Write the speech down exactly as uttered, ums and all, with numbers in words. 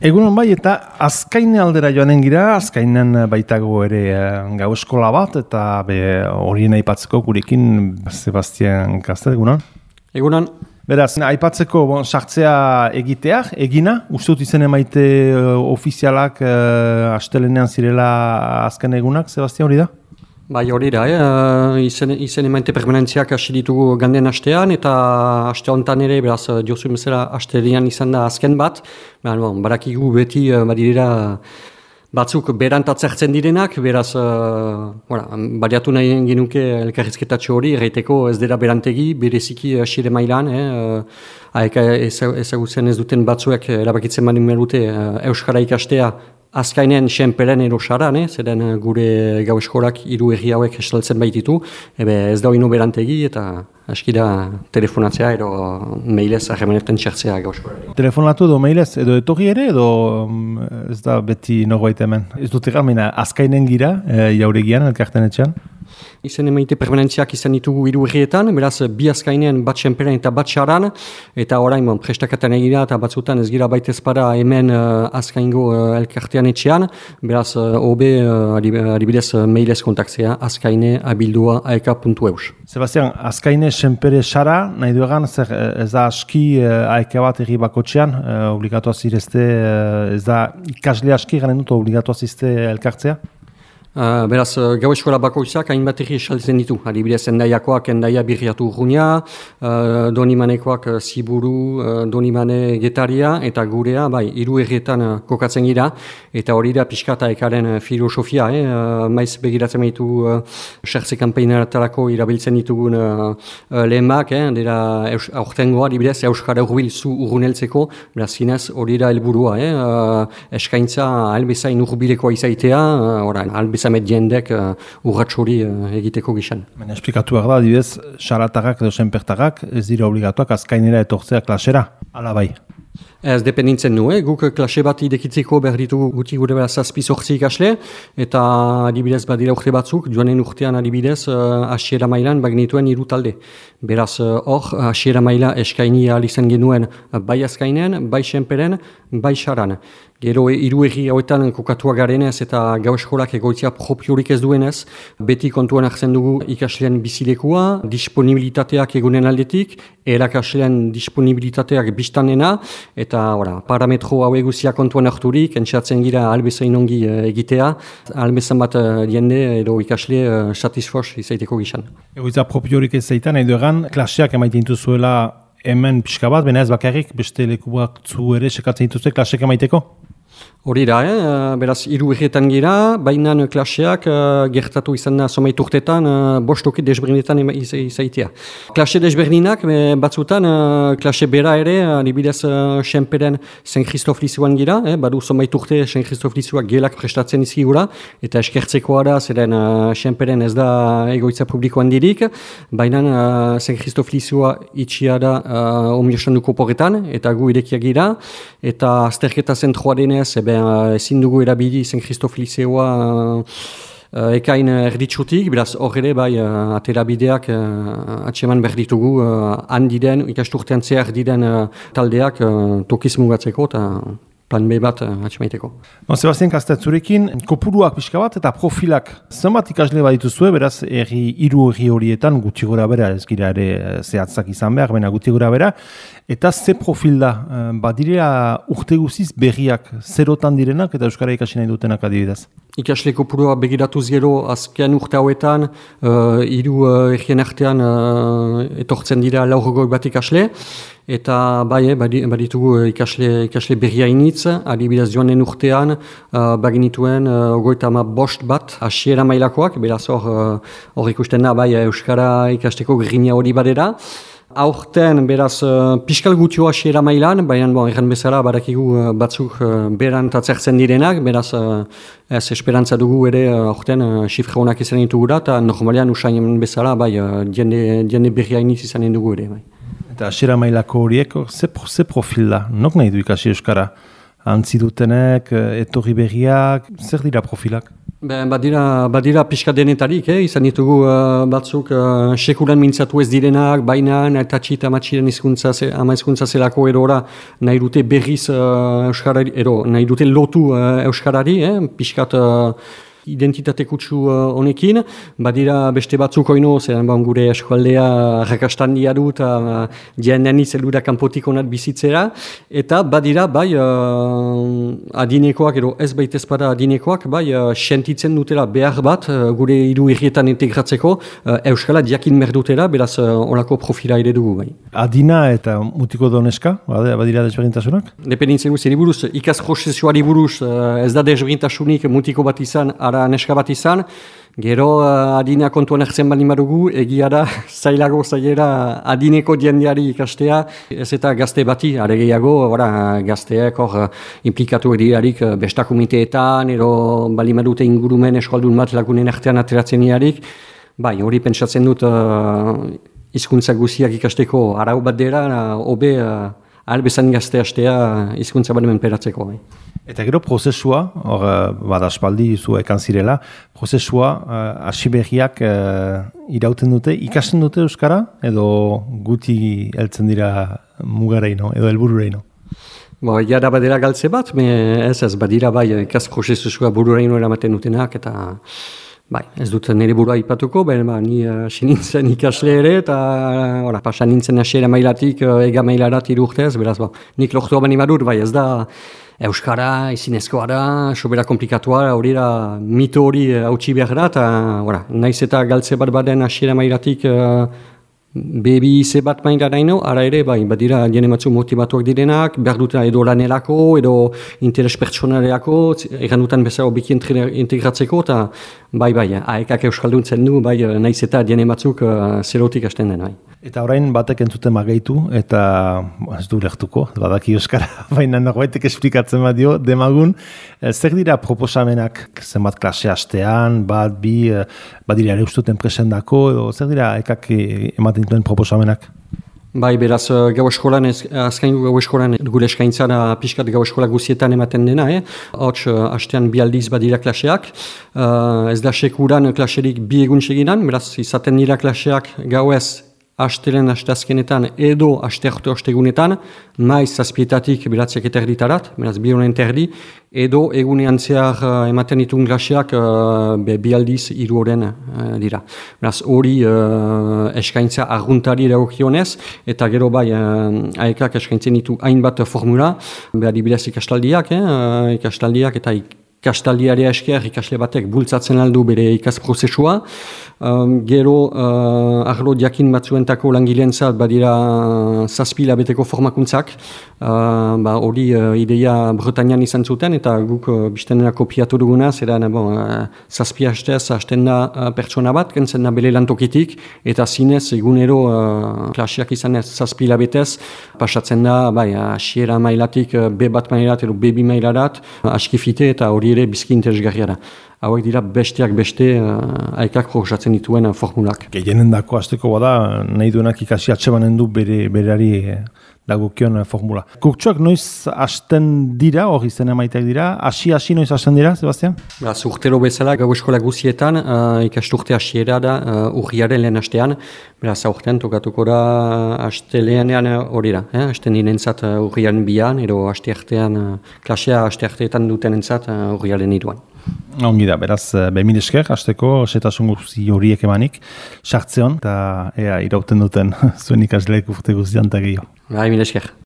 Egunon bai, eta Azkaine aldera joanen gira, Azkainen baitago ere gau eskola bat, eta be, horien aipatzeko gurekin Sebastian Kastel, egunon? Egunon. Beraz, aipatzeko bon, sartzea egitea, egina, uste dut izen emaite uh, ofizialak uh, astelenean zirela azken egunak, Sebastian, hori da? Bai, hori da, eh? izen, izen emaite permanentziak hasi ditugu ganden astean, eta aste honetan ere, beraz, diozu bezala astelenean izan da azken bat, beraz, bon, barakigu beti badirera batzuk berantatzertzen direnak, beraz, uh, voilà, baliatu nahi genuke elkarrizketatxo hori, erraiteko ez dira berantegi, bereziki hasiere mailan, eh? Haeka ezagutzen ez duten batzuek erabakitzen mani merute uh, Euskara ikastea Azkainen senperen edo saran, eh? Zeren gure gau eskolak hiru herri hauek estaltzen baititu, ebe ez da ino berantegi eta aski da telefonatzea edo mailez harremanetan txertzea gau eskolari. Telefonatu edo mailez edo etorri ere edo ez da beti norbait hemen? Ez dut egalmena Azkainen gira, e, jauregian, elkarten etxean? Izen emaite permanentziak izan ditugu hiru herrietan, beraz bi Azkainen bat senperen eta bat saran, eta orain bon, prestakatan egira eta batzutan ez gira baitez para hemen uh, Azkaingo uh, elkartean etxean, beraz uh, hobe uh, adibidez uh, mailez kontaktzea azkaine abildua aeka puntu eus. Sebastian, Azkaine senpere sara, nahi duegan, zer ez da aski uh, aeka bat herri bakotxean, uh, obligatuaz irezte, uh, ez da ikasle aski garen dut obligatuaz izte elkartzea? Uh, beraz, uh, gau eskola bakoitzak hainbat erri esaltzen ditu. Adibidez, endaiakoak endaia birriatu urrunia, uh, donimanekoak uh, ziburu, uh, donimane getaria, eta gurea, bai, hiru herrietan uh, kokatzen gira, eta hori da pixkata ekaren uh, filosofia, eh? uh, maiz begiratzen baitu uh, xertze kanpeinaratarako irabiltzen ditugun uh, uh, lehenbak, eh? dira eus, aurtengoa, adibidez, Euskara urbil zu urruneltzeko, beraz, zinez, hori da helburua, eh? uh, eskaintza albezain urbilekoa izaitea, uh, orain, albezain met jendek uh, urratxori uh, egiteko gizan. Baina esplikatuak da, adibidez, xaratarrak edo senpertarrak ez dira obligatuak Azkainera etortzea klasera, ala bai? Ez dependintzen du, eh? Guk klase bat idekitzeko behar ditugu guti gure behar zazpi sortzi ikasle, eta adibidez badira urte batzuk, joanen urtean adibidez uh, asiera mailan bagnituen hiru talde. Beraz hor, uh, asiera maila eskaini ahal izan genuen uh, bai Azkainen, bai senperen, bai saran. Gero hiru herri hauetan kokatua garenez eta gau eskolak egoitzia propiorik ez duenez, beti kontuan hartzen dugu ikasleen bizilekua, disponibilitateak egunen aldetik, erakasleen disponibilitateak biztanena, eta ora, parametro hau eguzia kontuan harturik, entxatzen gira albezain ongi egitea, albezan bat jende edo ikasle uh, satisfos izaiteko gizan. Egoitza propiorik ez zaitan, edo egan, klaseak emaiten zuela hemen pixka bat, baina ez bakarrik, beste lekuak zu ere sekatzen dituzte klaseak emaiteko? Hori da, eh? beraz, hiru herrietan gira, baina klaseak uh, gertatu izan da somait urtetan, uh, bostoki desberdinetan izaitea. Klase desberdinak, batzutan, uh, klase bera ere, adibidez uh, senperen Saint Christophe Lizuan gira, eh? badu somait urte Saint Christophe Lizuak gelak prestatzen izigura, eta eskertzeko ara, zeren uh, senperen ez da egoitza publikoan dirik, baina uh, Saint Christophe Lizua itxia da uh, omiosanduko porretan, eta gu irekiak gira, eta azterketa zentroa denez, ebe ezin dugu erabili Saint Christophe Liceoa uh, uh, ekain erditsutik, beraz hor ere bai uh, aterabideak uh, atseman behar ditugu uh, handiden, ikasturtean zehar diden uh, taldeak uh, tokiz mugatzeko eta plan B bat uh, atxemaiteko. No, Sebastian Kastel, zurekin kopuruak pixka bat eta profilak zenbat ikasle badituzue, beraz erri hiru herri horietan guti gora bera, ez gira ere zehatzak izan behar, baina guti gora bera, eta ze profil da, badira urte guziz berriak zerotan direnak eta Euskara ikasi nahi dutenak adibidez? Ikasle kopurua begiratuz gero azken urte hauetan, uh, hiru uh, errien artean uh, etortzen dira laurogoi bat ikasle, eta bai, baditugu ikasle, ikasle berria initz, adibidez joanen urtean, uh, baginituen uh, ogoita ama bost bat, hasiera mailakoak, beraz hor uh, ikusten da, bai, Euskara ikasteko grina hori badera. Aurten, beraz, uh, piskal gutio hasiera mailan, baina bon, erran bezala badakigu uh, batzuk uh, beran tatzertzen direnak, beraz, uh, ez esperantza dugu ere uh, aurten uh, xifre honak izan ditugu da, eta normalean usain bezala, bai, uh, jende, jende berria iniz izan dugu ere, bai. Eta hasiera mailako horiek, ze, ze profil da? Nok nahi du ikasi Euskara? Antzi dutenek, etorri berriak, zer dira profilak? Ben, badira, badira pixka denetarik, eh? Izan ditugu uh, batzuk uh, sekulan mintzatu ez direnak, baina eta txita matxiren izkuntza, ama izkuntza zelako erora nahi dute berriz uh, Euskarari, ero, nahi dute lotu uh, Euskarari, eh? Pixkat uh, identitate kutsu honekin, uh, badira beste batzuk oino, zeran ba, gure eskualdea rakastandia du eta uh, dianean izelura kanpotik onat bizitzera, eta badira bai uh, adinekoak, ero ez baita ezpada adinekoak, bai uh, sentitzen dutela behar bat uh, gure hiru herrietan integratzeko uh, Euskala diakin merdutera, beraz uh, olako profila ere dugu bai. Adina eta mutiko doneska, badira desberdintasunak? Dependitzen du, zeri buruz, ikaz prozesuari buruz uh, ez da desberdintasunik mutiko bat izan, ara neska bat izan, gero uh, adina kontuan hartzen bali madugu, egia da zailago zailera adineko diendiari ikastea, ez eta gazte bati, are gehiago, ora, gazteek hor uh, implikatu edirarik uh, besta komiteetan, ero bali madute ingurumen eskaldun bat lagunen artean ateratzen iarik, bai, hori pentsatzen dut uh, hizkuntza guziak ikasteko arau bat dira, hobe uh, albezan gazte hastea hizkuntza bat menperatzeko. Bai. Eta gero prozesua, hor bada aspaldi zu ekan zirela, prozesua hasi uh, berriak uh, irauten dute, ikasten dute Euskara, edo guti heltzen dira mugareino, edo helburureino? Bo, ja da badera galtze bat, me ez ez badira bai ikas prozesua bururaino eramaten dutenak, eta bai, ez dut nire burua ipatuko, baina ba, ni hasi uh, nintzen ikasle ere, eta uh, pasa nintzen hasiera mailatik, uh, ega mailarat irurtez, beraz, ba, nik lortu abani badut, bai, ez da Euskara, izinezkoa da, sobera komplikatua, hori da mito hori hautsi behar da, eta naiz eta galtze bat baden hasiera mailatik uh, bebi ize bat maila daino, ara ere, bai, badira jene batzu motivatuak direnak, behar dut edo lanelako, edo interes pertsonaleako, egan dutan bezala biki integratzeko, eta bai, bai, aekak euskalduntzen du, bai, naiz eta jene batzuk uh, zerotik hasten den, bai. Eta orain batek entzuten magaitu, eta ez du lehtuko, badaki Euskara, baina norbaitek esplikatzen badio, demagun, zer dira proposamenak zenbat klase hastean, bat, bi, badira ere ustuten presendako, edo zer dira ekak ematen duen proposamenak? Bai, beraz, gau eskolan, azkaingo gau eskolan, gure eskaintzara pixkat gau eskola guzietan ematen dena, eh? Hots, hastean bi aldiz badira klaseak, uh, ez da sekuran klaserik bi egun seginan, beraz, izaten dira klaseak gauez, hastelen hastazkenetan edo hastearte ostegunetan, maiz zazpietatik beratziak eta erditarat, beraz bi honen terdi, edo egunean zehar uh, ematen ditun klaseak uh, be, bi aldiz hiru oren uh, dira. Beraz hori uh, eskaintza arguntari eragokionez, eta gero bai uh, aekak eskaintzen ditu hainbat formula, behar dibidez ikastaldiak, eh, uh, ikastaldiak eta ik ikastaldiari esker ikasle batek bultzatzen aldu bere ikas prozesua. Um, gero uh, arlo diakin batzuentako langilentzat badira zazpi labeteko formakuntzak. Uh, ba, hori uh, ideia Bretañan izan zuten eta guk uh, biztenena kopiatu duguna, zeran bon, uh, zazpi hastez hasten da uh, pertsona bat, kentzen da bere lantokitik, eta zinez egunero uh, klaseak izan ez zazpi labetez, pasatzen da bai, hasiera mailatik uh, B bat mailat edo B bi mailarat, uh, askifite eta hori ere bizki interesgarria da. Hauek dira besteak beste uh, aekak proposatzen dituen uh, formulak. Gehienen dako azteko bada, nahi duenak ikasi atsebanen du bere, berari eh, dagokion uh, formula. Kurtsuak noiz hasten dira, hori zen emaiteak dira, hasi-hasi noiz hasten dira, Sebastian? Beraz, urtero bezala, gau eskola guzietan, uh, ikasturte hasiera da uh, urriaren lehen hastean, beraz, aurten tokatuko da hasteleanean hori da, eh? Hasten dinentzat uh, urriaren bian, edo haste artean, uh, klasea haste arteetan duten entzat uh, urriaren iruan. Ongi da, beraz, behin esker, hasteko setasun guzti horiek emanik, sartzeon, eta ea irauten duten zuen ikasleek urte guztian eta gehiago. Bai, mil esker.